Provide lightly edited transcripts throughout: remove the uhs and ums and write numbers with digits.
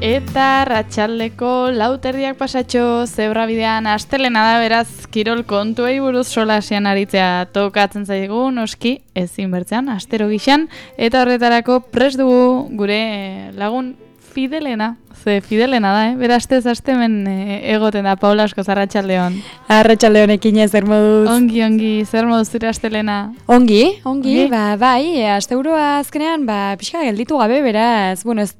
Eta ratxaldeko lauterdiak pasatxo zebrabidean astelena da, beraz kirol kontuei buruz solasian aritzea tokatzen zaigu, noski ezin bertzean, astero gixan, eta horretarako prest dugu gure lagun Fidelena. Ze Fidelena da, bera astez astemen egoten da, Paula asko, arratsaldeon. Arratsaldeonekin zer moduz? Ongi, zer moduz zure astelena? Ongi, bai, asteburua azkenean, pixka gelditu gabe, beraz, bueno, ez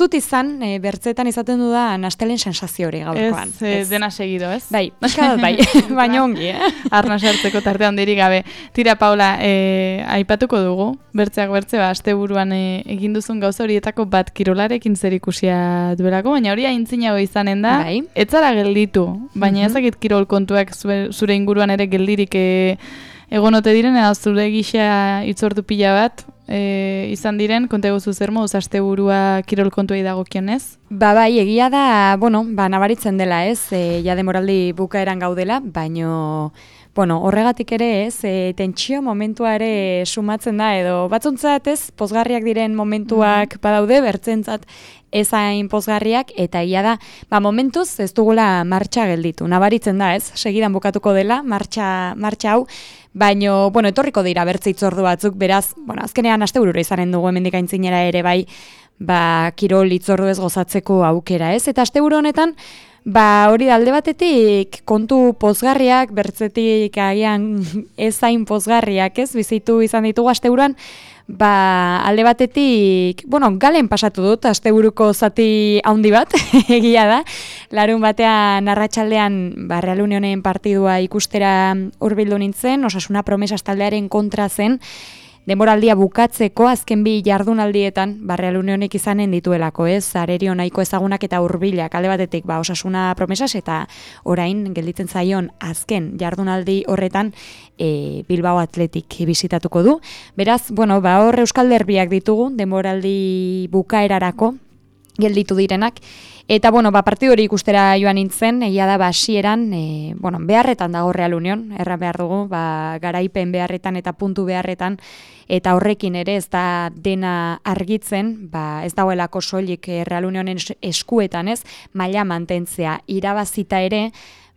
dut izan, bertzetan izaten dudan astelen sensazio hori gaurkoan. Ez, dena segido, ez? Bai, pixka bai, baina ongi, Arna sartzeko tarte handirik gabe. Tira, Paula, aipatuko dugu, bertzeak bertze, asteburuan egin duzun gauza horietako bat kirolarekin zer ikusia duelako, baina hori aintzinago izanen da, bai. Ez zara gelditu, baina ezakit kirol kontuak zure inguruan ere geldirik egonote diren, edo zure gisa itzortu pila bat izan diren, konta guzu zer moduz asteburua kirol kontuei dagokionez? Bai, egia da, nabaritzen dela, ez, ja demoraldi bukaeran gaudela, baino, horregatik ere, ez, tentsio momentua ere sumatzen da, edo batzuntzat, ez, pozgarriak diren momentuak badaude, bertzentzat ezain pozgarriak, eta egia da, momentuz ez dugula martxa gelditu, nabaritzen da, ez, segidan bukatuko dela, martxa hau, baino, etorriko dira bertze itzordu batzuk, beraz, azkenean asteburura izanen dugu hemendik aintzinera ere bai, kirol itzordu ez gozatzeko aukera, ez? Eta asteburu honetan, hori da alde batetik kontu pozgarriak, bertzetik agian ezain pozgarriak, ez? Bizitu izan ditugu asteburuan, alde batetik, galen pasatu dut, asteburuko zati handi bat, egia da. Larun batean, arratsaldean, Real Unionen partidua ikustera hurbildu nintzen, Osasuna Promesas taldearen kontra zen, denboraldia bukatzeko azken bi jardunaldietan Real Unionek izanen dituelako, ez? Arerio nahiko ezagunak eta hurbilak alde batetik Osasuna Promesas eta orain gelditzen zaion azken jardunaldi horretan Bilbao Athletic bisitatuko du. Beraz, hor Euskal Derbiak ditugu denboraldi bukaerarako gelditu direnak. Eta, partidu hori ikustera joan nintzen, egia da, hasieran, beharretan dago Real Union, erran behar dugu, garaipen beharretan eta puntu beharretan, eta horrekin ere ez da dena argitzen, ez dagoelako soilik Real Unionen eskuetan, ez, maila mantentzea irabazita ere,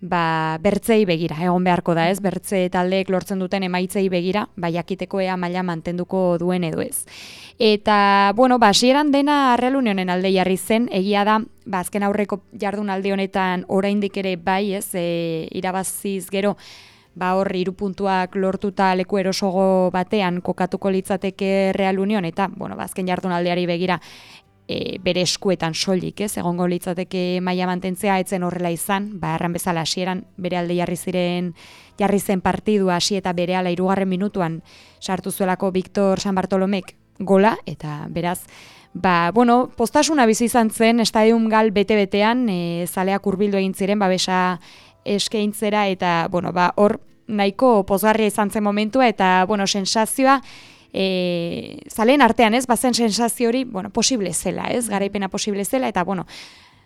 bertzei begira, egon beharko da, ez, bertze taldeek lortzen duten emaitzei begira, jakiteko ea maila mantenduko duen edo ez. Eta, hasieran dena Real Unionen alde jarri zen, egia da, azken aurreko jardunaldi honetan oraindik ere bai, ez, irabaziz gero, hor 3 puntuak lortuta leku erosogo batean kokatuko litzateke Real Union, eta, azken jardunaldiari begira, bere eskuetan soilik, ez, egongo litzateke maila mantentzea, etzen horrela izan, erran bezala hasieran bere alde jarri zen partidua hasi eta berehala 3. minutuan sartu zuelako Victor San Bartolomek gola, eta beraz, postasuna bizi izan zen, estadium gal bete-betean, zaleak hurbildu egin ziren, babesa eskaintzera, eta, hor nahiko pozgarria izan zen momentua, eta, sensazioa, zaleen artean, ez, bazen sensazio hori, posible zela, ez, garaipena posible zela, eta,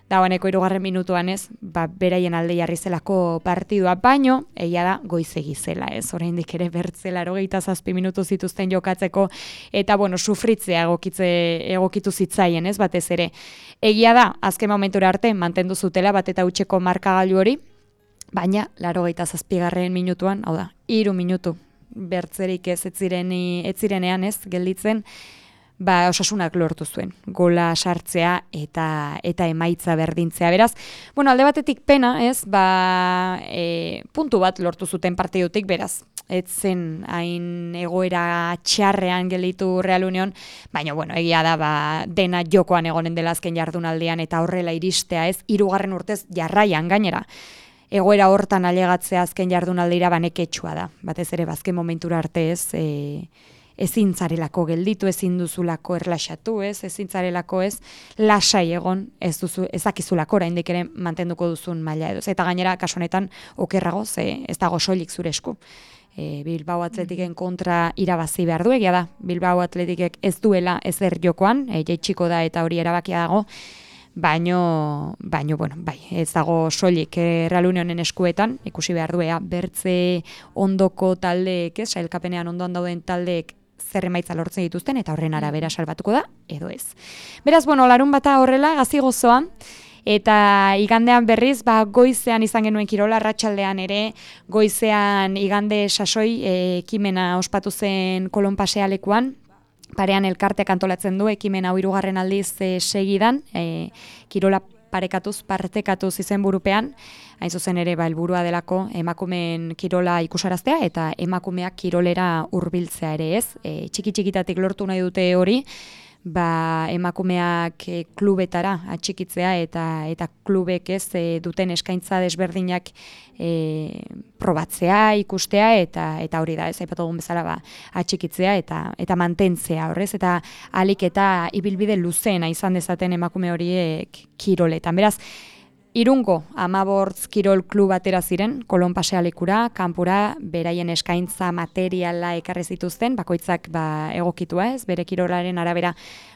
dagoeneko 3. minutuan, ez, beraien alde jarri zelako partidua, baino, egia da, goizegi zela, ez, oraindik ere bertzela 87 minutu zituzten jokatzeko, eta, sufritzea egokitu zitzaien, ez, batez ere. Egia da, azken momentura arte, mantendu zutela, bat eta hutseko markagailu hori, baina, 87. minutuan, hau da, 3 minutu, bertzerik ez zirenean, ez, gelditzen, Osasunak lortu zuen, gola sartzea eta emaitza berdintzea. Beraz, alde batetik pena, ez, puntu bat lortu zuten partidutik, beraz, ez zen hain egoera txarrean gelditu Real Union, baina, egia da, dena jokoan egonen dela azken jardunaldian eta horrela iristea, ez, 3. urtez jarraian gainera. Egoera hortan ailegatzea azken jardunaldira neketsua da. Batez ere, azken momentura arte, ez, ezin zarelako gelditu, ezin duzulako erlaxatu, ez, ezin zarelako, ez, lasai egon, ez dakizulako oraindik ere mantenduko duzun maila edo. Eta gainera, kasu honetan, okerrago, ez dago soilik zure esku. Bilbao Atletiken kontra irabazi behar du, egia da, Bilbao Atletikek ez duela ezer jokoan, jaitsiko da eta hori erabakia dago, baino, bai, ez dago soilik Real Unionen eskuetan, ikusi behar duea, bertze ondoko taldeek, sailkapenean ondoan dauden taldeek zer emaitza lortzen dituzten eta horren arabera salbatuko da edo ez. Beraz, larunbata horrela gazi gozoa. Eta igandean berriz, goizean izan genuen kirola, arratsaldean ere, goizean igande sasoi ekimena ospatu zen Kolon pasealekuan, parean elkarteak antolatzen du, ekimen hau 3. aldiz segidan, kirola partekatuz izenburupean, hain zuzen ere helburua delako emakumeen kirola ikusaraztea eta emakumeak kirolera hurbiltzea ere ez, txiki-txikitatik lortu nahi dute hori, emakumeak klubetara atxikitzea eta klubek ez duten eskaintza desberdinak probatzea, ikustea eta hori da, ez aipatu dugun bezala atxikitzea eta mantentzea horrez, eta ahalik eta ibilbide luzeena izan dezaten emakume horiek kiroletan. Beraz, Irungo 15 kirol klub atera ziren, Kolon pasealekura, kanpura, beraien eskaintza materiala ekarri zituzten, bakoitzak egokitua ez, bere kirolaren arabera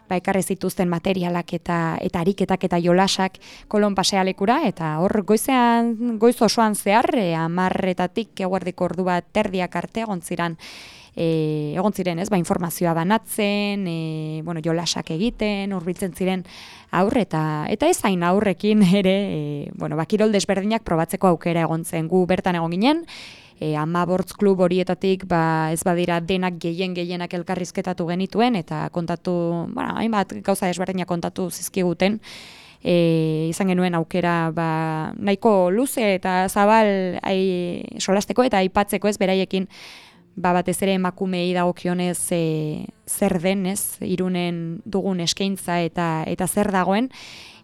ekarri zituzten materialak eta ariketak eta jolasak Kolon pasealekura, eta hor goiz osoan zehar, 10:00 eguerdiko ordu bat terdiak arte egon ziren ez, informazioa banatzen, jolasak egiten, hurbiltzen ziren aurre eta ez hain aurrekin ere, kirol desberdinak probatzeko aukera egon zen. Gu bertan egon ginen, 15 klub horietatik ez badira denak gehienak elkarrizketatu genituen eta kontatu, hainbat gauza desberdinak kontatu zizkiguten, izan genuen aukera nahiko luze eta zabal solasteko eta aipatzeko ez beraiekin, batez ere emakumei dagokionez zer den, ez, Irunen dugun eskaintza eta zer dagoen.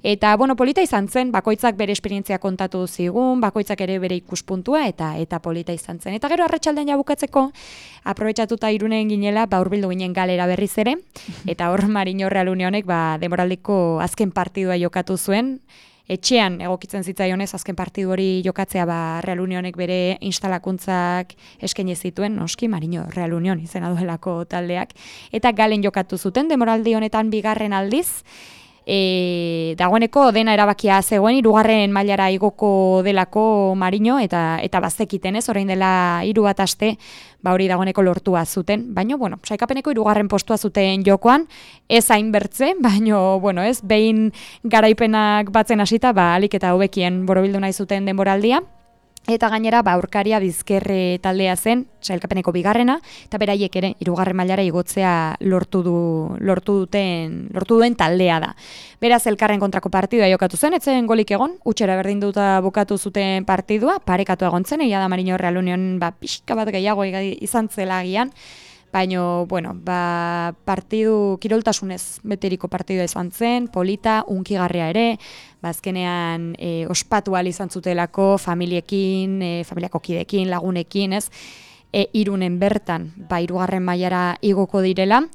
Eta, polita izan zen, bakoitzak bere esperientzia kontatu zigun, bakoitzak ere bere ikuspuntua eta polita izan zen. Eta gero arratsaldean jabukatzeko, aprobetxatuta Irunen ginela, hurbildu ginen Galera berriz ere, eta hor Marino Real Unionek denboraldiko azken partidua jokatu zuen, etxean egokitzen zitzaionez azken partidu hori jokatzea Real Unionek bere instalakuntzak eskaini zituen, noski Marino Real Union izena duelako taldeak, eta Galen jokatu zuten denboraldi honetan 2. aldiz, dagoeneko dena erabakia zegoen 3. mailara igoko delako Marino eta bazekiten ez, orain dela 3 bat aste hori dagoeneko lortua zuten, baina saikapeneko 3. postua zuten jokoan, ez hainbertze, baina ez, behin garaipenak batzen hasita ahalik eta hobekien borobildu nahi zuten denboraldia. Eta gainera, aurkaria Bizkerre taldea zen, sailkapeneko 2. eta beraiek ere 3. mailara igotzea lortu duen taldea da. Beraz, elkarren kontrako partidua jokatu zen, etzen golik egon, utxera berdinduta bukatu zuten partidua, parekatu egon zen, egia da Marino Real Union pixka bat gehiago izan zela agian, baina, partidu kiroltasunez beteriko partidua izan zen, polita, unkigarria ere, azkenean ospatu ahal izan zutelako familiekin, familiako kidekin, lagunekin, ez, Irunen bertan, 3. mailara igoko direla,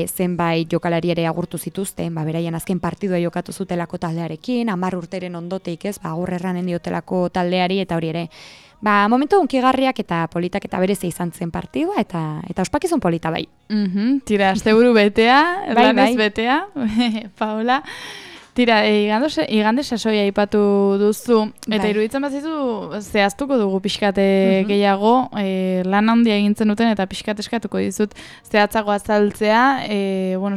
zenbait jokalari ere agurtu zituzten, beraien azken partidua jokatu zutelako taldearekin, 10 urteren ondoteik ez, agur erranen diotelako taldeari, eta hori ere, momentu unkigarriak eta politak eta bereze izan zen partidua, eta ospakizun polita bai. Tira, asteburu betea, lanez betea, Paola. Tira, igande sasoia aipatu duzu, eta iruditzen bazizu zehaztuko dugu pixkate gehiago, lan handia egintzen duten eta pixkat eskatuko dizut zehatzago azaltzea,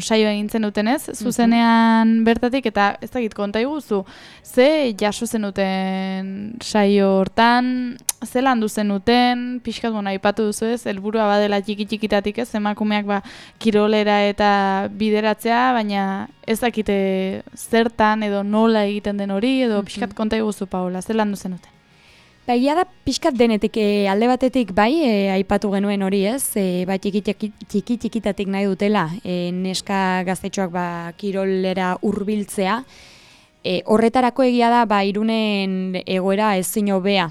saio egintzen dutenez, zuzenean bertatik, eta ez dakit konta iguzu, ze jaso zen duten saio hortan, ze landu zen duten, pixkat aipatu duzu ez, helburua badela txiki-txikitatik ez, emakumeak kirolera eta bideratzea, baina ez dakite zertan edo nola egiten den hori, edo pixkat konta iguzu, Paola, zer landu zen duten? Egia da pixkat denetik, alde batetik aipatu genuen hori ez, txiki-txikitatik nahi dutela, neska gaztetxoak kirolera hurbiltzea, horretarako egia da Irunen egoera ezin hobea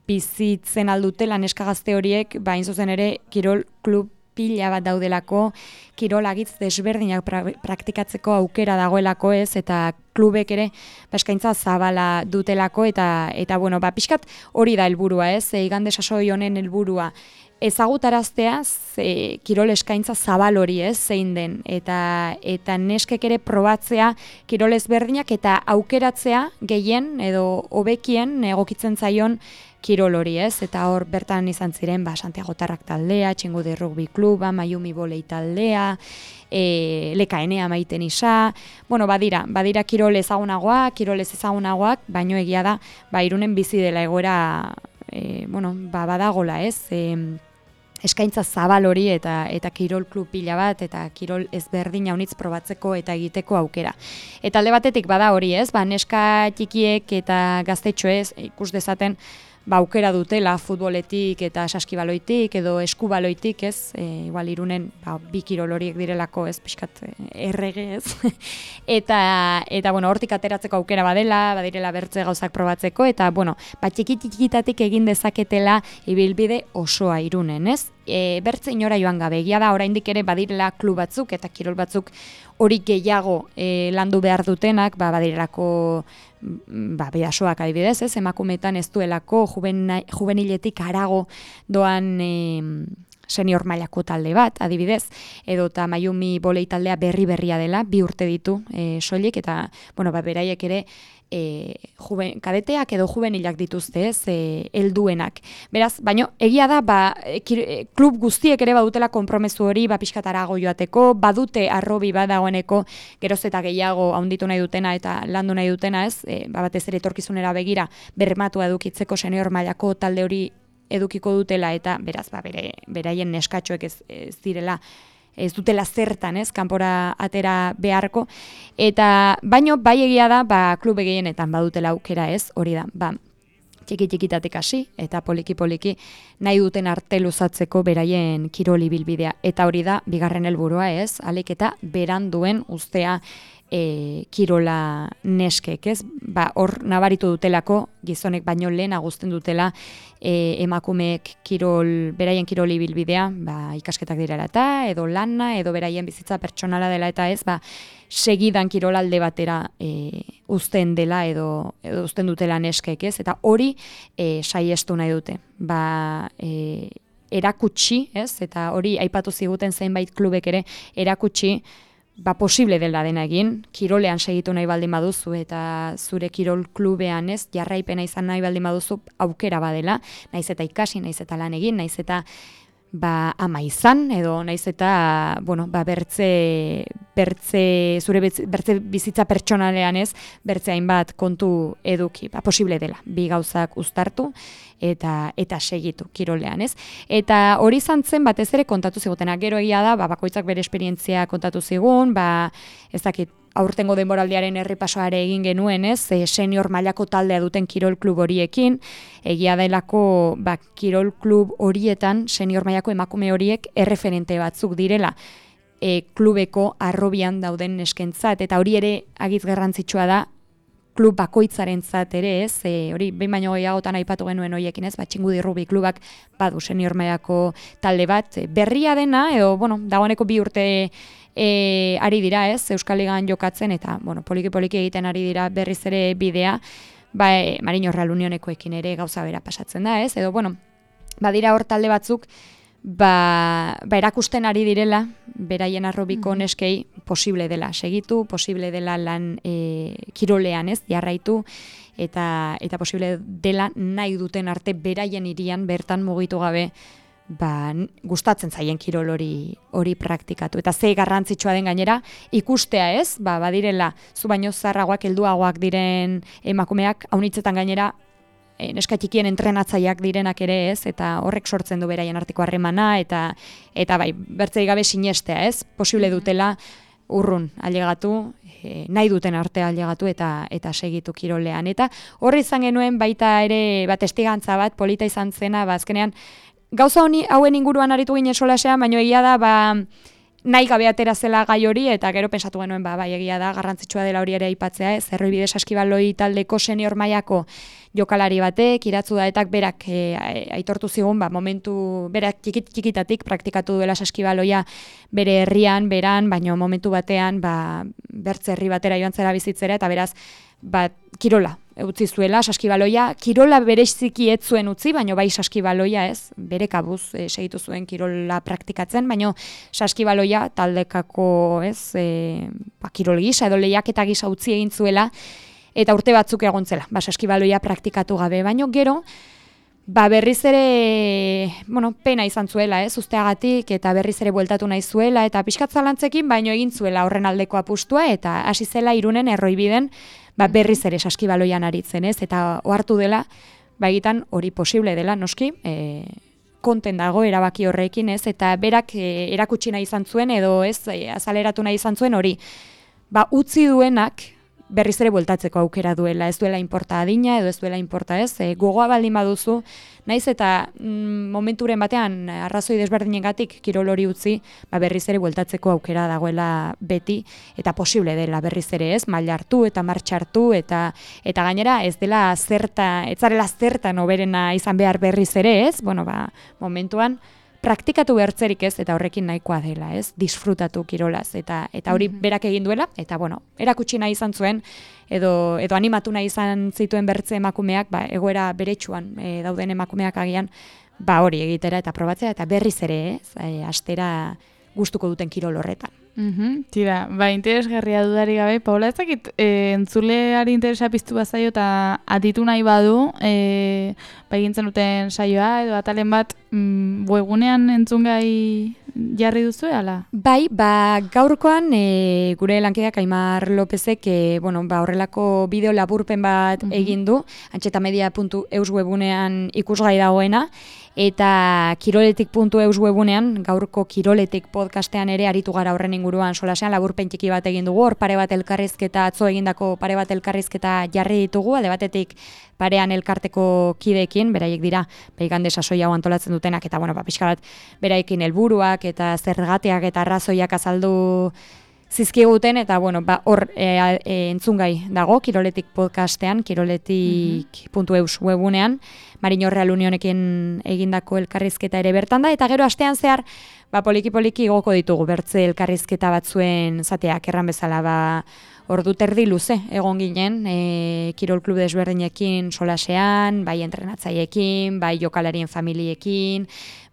bizitzen aldutela neska gazte horiek, hain zuzen ere kirol klub pila bat daudelako, kirolagitz desberdinak praktikatzeko aukera dagoelako ez, eta klubek ere eskaintza zabala dutelako, eta pixkat hori da helburua ez, igande sasoi honen helburua, ezagutaraztea kirol eskaintza zabal hori ez, zein den, eta neskek ere probatzea kirol ezberdinak eta aukeratzea gehien edo hobekien egokitzen zaion kirol hori, ez? Eta hor bertan izan ziren Santiago Tarrak taldea, Txingudi Rugby Kluba, Mayumi Volei taldea, lekaenea maiten isa, badira kirol ezagunagoak, kirol ez ezagunagoak, baino egia da, Irunen bizi dela egoera, badagola, ez? Eskaintza zabal hori eta kirol klub pila bat eta kirol ezberdin haunitz probatzeko eta egiteko aukera. Eta alde batetik bada hori, ez? Neska txikiek eta gaztetxoez ikus dezaten aukera dutela futboletik eta saskibaloitik edo eskubaloitik, ez? Igual Irunen bi kirol horiek direlako, ez? Pixkat errege, ez? eta hortik ateratzeko aukera badirela bertze gauzak probatzeko, eta txikitatik egin dezaketela ibilbide osoa Irunen, ez? Bertze inora joan gabe, egia da oraindik ere badirela klub batzuk eta kirol batzuk hori gehiago landu behar dutenak, badirelako bidasoak adibidez, ez? Emakumeetan ez duelako juveniletik harago doan senior mailako talde bat, adibidez, edota Mayumi Volei taldea berria dela, 2 urte ditu soilik, eta beraiek ere kadeteak edo juvenilak dituzte, ez, helduenak. Beraz, baino egia da, klub guztiek ere badutela konpromezu hori, pixkatarago joateko, badute arrobi badagoeneko geroz eta gehiago haunditu nahi dutena eta landu nahi dutena, ez, batez ere etorkizunera begira bermatua edukitzeko senior mailako talde hori edukiko dutela, eta beraz, beraien neskatxoek ez dutela zertan, ez, kanpora atera beharko, eta baino bai egia da, klube gehienetan badutela aukera, ez, hori da, txikitatik hasi, eta poliki nahi duten arte luzatzeko beraien kiroli bilbidea, eta hori da, bigarren helburua, ez, alik eta beranduen ustea kirola neskek, ez? Hor nabaritu dutelako, gizonek baino lehen aguzten dutela emakumeek beraien kiroli bilbidea, ikasketak direla eta, edo lana, edo beraien bizitza pertsonala dela eta ez, segidan kirolalde batera uzten dela edo uzten dutela neskek, ez? Eta hori saiestu nahi dute. Erakutsi, ez? Eta hori aipatu ziguten zenbait klubek ere erakutsi posible dela dena egin, kirolean segitu nahi baldin baduzu eta zure kirol klubean, ez, jarraipena izan nahi baldin baduzu aukera badela, naiz eta ikasi, naiz eta lan egin, naiz eta ama izan, edo naiz eta, zure bertze bizitza pertsonalean, ez, bertze hainbat kontu eduki, posible dela, bi gauzak uztartu eta segitu kirolean, ez? Eta hori izan zen batez ere kontatu zigutena, gero egia da, bakoitzak bere esperientzia kontatu zigun, ez dakit, aurtengo denboraldiaren errepasoare egin genuen, ez, senior mailako taldea duten kirol klub horiekin, egia delako kirol klub horietan senior mailako emakume horiek erreferente batzuk direla klubeko arrobian dauden neskentzat, eta hori ere agiz garrantzitsua da klub bakoitzarentzat ere, ez, hori behin baino gehiagotan aipatu genuen horiekin, ez, Txingudi Rugby Klubak badu senior mailako talde bat, berria dena, edo, dagoeneko 2 urte ari dira, ez, Euskal Ligan jokatzen, eta, poliki egiten ari dira berriz ere bidea, Marino Real Unionekoekin ere gauza bera pasatzen da, ez, edo, badira hor talde batzuk, erakusten ari direla, beraien arrobiko neskei posible dela segitu, posible dela lan kirolean, ez, jarraitu, eta posible dela nahi duten arte beraien hirian bertan mugitu gabe, gustatzen zaien kirol hori praktikatu. Eta ze garrantzitsua den gainera, ikustea, ez, badirela, zu baino zarragoak, helduagoak diren emakumeak, haunitzetan gainera, neska txikien entrenatzaileak direnak ere, ez, eta horrek sortzen du beraien arteko harremana, eta bertzei gabe sinestea, ez, posible dutela urrun ailegatu, nahi duten arte ailegatu eta segitu kirolean. Eta horri izan genuen baita ere testigantza bat, polita izan zena, azkenean, gauza hauen inguruan aritu ginen solasean, baina egia da, nahi gabe atera zela gai hori, eta gero pensatu genuen, egia da, garrantzitsua dela hori ere aipatzea, ez, Erroibide Saskibaloi taldeko senior mailako jokalari batek, Iratzu Daetak berak aitortu zigun, momentu, berak txikitatik praktikatu duela saskibaloia bere herrian, baina momentu batean, bertze herri batera joan zera bizitzera, eta beraz, kirola utzi zuela, saskibaloia, kirola bereziki ez zuen utzi, baina bai saskibaloia, ez, bere kabuz segitu zuen kirola praktikatzen, baina saskibaloia taldekako, ez, kirol gisa edo lehiaketa gisa utzi egin zuela, eta urte batzuk egon zela, saskibaloia praktikatu gabe, baina gero, berriz ere, pena izan zuela, usteagatik, eta berriz ere bueltatu nahi zuela, eta pixkat zalantzekin, baino egin zuela horren aldeko apustua, eta hasi zela Irunen erroibiden, berriz ere saskibaloian aritzen, eta ohartu dela, egitan hori posible dela, noski, konten dago erabaki horrekin, eta berak erakutsi nahi izan zuen, edo azaleratu nahi izan zuen hori, utzi duenak, berriz ere bueltatzeko aukera duela, ez duela inporta adina, edo ez duela inporta gogoa baldin baduzu, naiz eta momenturen batean arrazoi desberdinengatik kirol hori utzi, berriz ere bueltatzeko aukera dagoela beti, eta posible dela berriz ere maila hartu eta martxa hartu, eta gainera ez dela ez zarela zertan oberena izan behar berriz ere momentuan, praktikatu behartzerik eta horrekin nahikoa dela, disfrutatu kirolaz, eta hori berak egin duela, eta erakutsi nahi izan zuen, edo animatu nahi izan zituen bertze emakumeak, egoera beretsuan dauden emakumeak agian, hori egitera eta probatzea, eta berriz ere, astera gustuko duten kirol horretan. Tira, interesgarria dudari gabe, Paula, ez dakit entzuleari interesa piztu bazaio eta aditu nahi badu, egintzen duten saioa, edo atalen bat webgunean entzungai jarri duzu, ala? Gaurkoan gure lankideak Aimar Lopezek horrelako bideo laburpen bat egin du, antxetamedia.eus webgunean ikusgai dagoena, eta kiroletik.eus webunean, gaurko Kiroletik podcastean ere aritu gara horren inguruan solasean, laburpen txiki bat egin dugu, hor pare bat elkarrizketa, atzo egindako pare bat elkarrizketa jarri ditugu, alde batetik parean elkarteko kideekin, beraiek dira, igande sasoi hau antolatzen dutenak, eta pixka bat beraiekin helburuak eta zergateak eta arrazoiak azaldu zizkiguten, eta hor entzungai dago, Kiroletik podcastean, kiroletik.eus webunean, Marino Real Unionekin egindako elkarrizketa ere bertan da, eta gero astean zehar, poliki-poliki igoko ditugu bertze elkarrizketa batzuen zateak erran bezala, ordu terdi luze egon ginen, kirol klub desberdinekin solasean, bai entrenatzaiekin, bai jokalarien familiekin,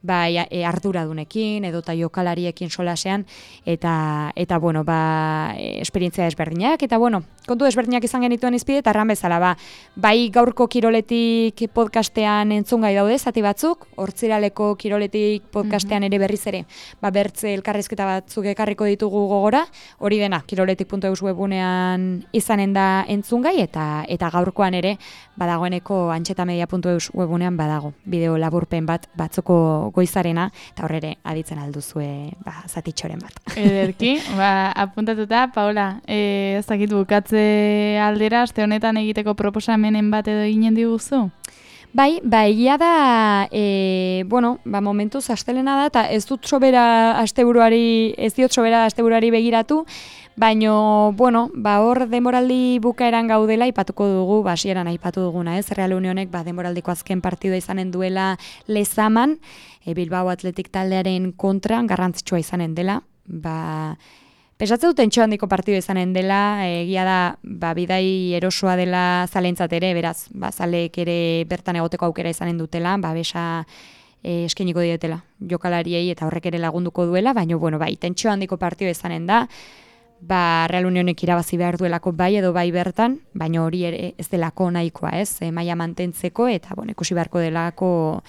bai arduradunekin edota jokalariekin solasean, eta esperientzia desberdinak, eta kontu desberdinak izan genituen izpide, eta erran bezala, bai gaurko Kiroletik podcastean entzungai daude, zati batzuk, hortziraleko Kiroletik podcastean ere berriz ere, bertze elkarrizketa batzuk ekarriko ditugu gogora, hori dena, kiroletik.eus webunean izanen da entzungai, eta gaurkoan ere, badagoeneko antxetamedia.eus webunean badago, bideo laburpen bat batzoko goizarena, eta horrere aditzen alduzue zatitxoren bat. Ederki, apuntatuta, Paola, ez dakit bukatze aldera, aste honetan egiteko proposamenen bat edo eginen diguzu? Egia da, momentuz astelena da, eta ez diot sobera asteburuari begiratu, baino, hor demoraldi bukaeran gaudela aipatuko dugu, hasieran aipatu duguna, Real Unionek demoraldiko azken partidua izanen duela Lezaman, Bilbao Athletic taldearen kontran garrantzitsua izanen dela, Pesatze duten handiko partidu izanen dela, egia da, bidai erosoa dela zalentzat ere, beraz, zaleek ere bertan egoteko aukera izanen dutela, besa eskeniko dietela jokalariei eta horrek ere lagunduko duela, baina, tentsio handiko partidu izanen da, Real Unionek irabazi behar duelako bai edo bai bertan, baina hori ere ez delako nahikoa, maila mantentzeko, eta, ikusi beharko delako,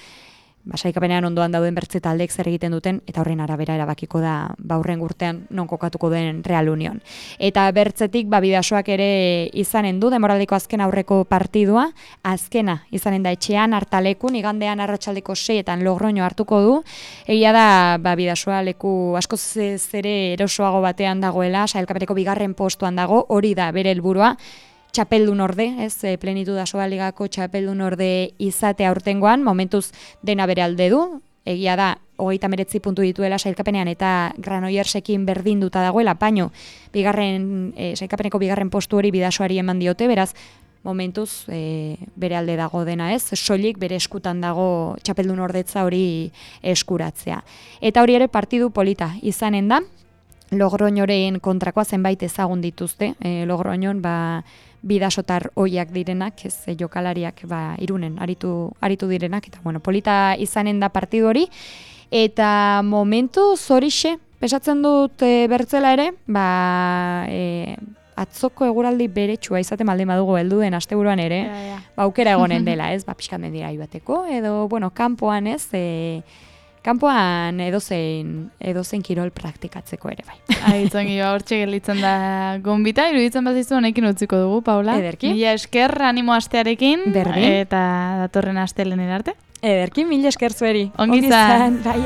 sailkapenean ondoan dauden bertze taldeek zer egiten duten, eta horren arabera erabakiko da hurrengo urtean non kokatuko den Real Union. Eta bertzetik Bidasoak ere izanen du demoraldiko azken aurreko partidua, azkena izanen da etxean Hartalekun, igandean arratsaldeko 6etan Logroño hartuko du. Egia da Bidasoa leku askoz ere erosoago batean dagoela, sailkapeneko 2. postuan dago, hori da bere helburua. Txapeldun orde, Plenitud Asoa Ligako txapeldun orde izate aurtengoan, momentuz dena bere alde du, egia da, 39 puntu dituela sailkapenean eta Granoillersekin berdinduta dagoela, baino, sailkapeneko 2. postu hori Bidasoari eman diote, beraz, momentuz bere alde dago dena, soilik bere eskutan dago txapeldun ordetza hori eskuratzea. Eta hori ere partidu polita izanen da, Logroñoren kontrakoa zenbait ezagun dituzte, Logroñon bidasotar oiak direnak, jokalariak Irunen aritu direnak, eta polita izanen da partidu hori, eta momentu zorixe, pesatzen dut bertzela ere, atzoko eguraldi beretsua izaten baldin badugu heldu den asteburuan ere, ba, aukera egonen dela, ez? Ba, pixkat mendira joateko, edo, bueno, kanpoan, ez? Kanpoan edozein kirol praktikatzeko ere, bai. Aitzongi, hortxe gelditzen da gonbita, iruditzen bazizu honekin utziko dugu, Paula. Ederki. Mila esker animo astearekin, berdin. Eta datorren astelener arte. Ederki, mila esker zueri. Ongi izan. Bai,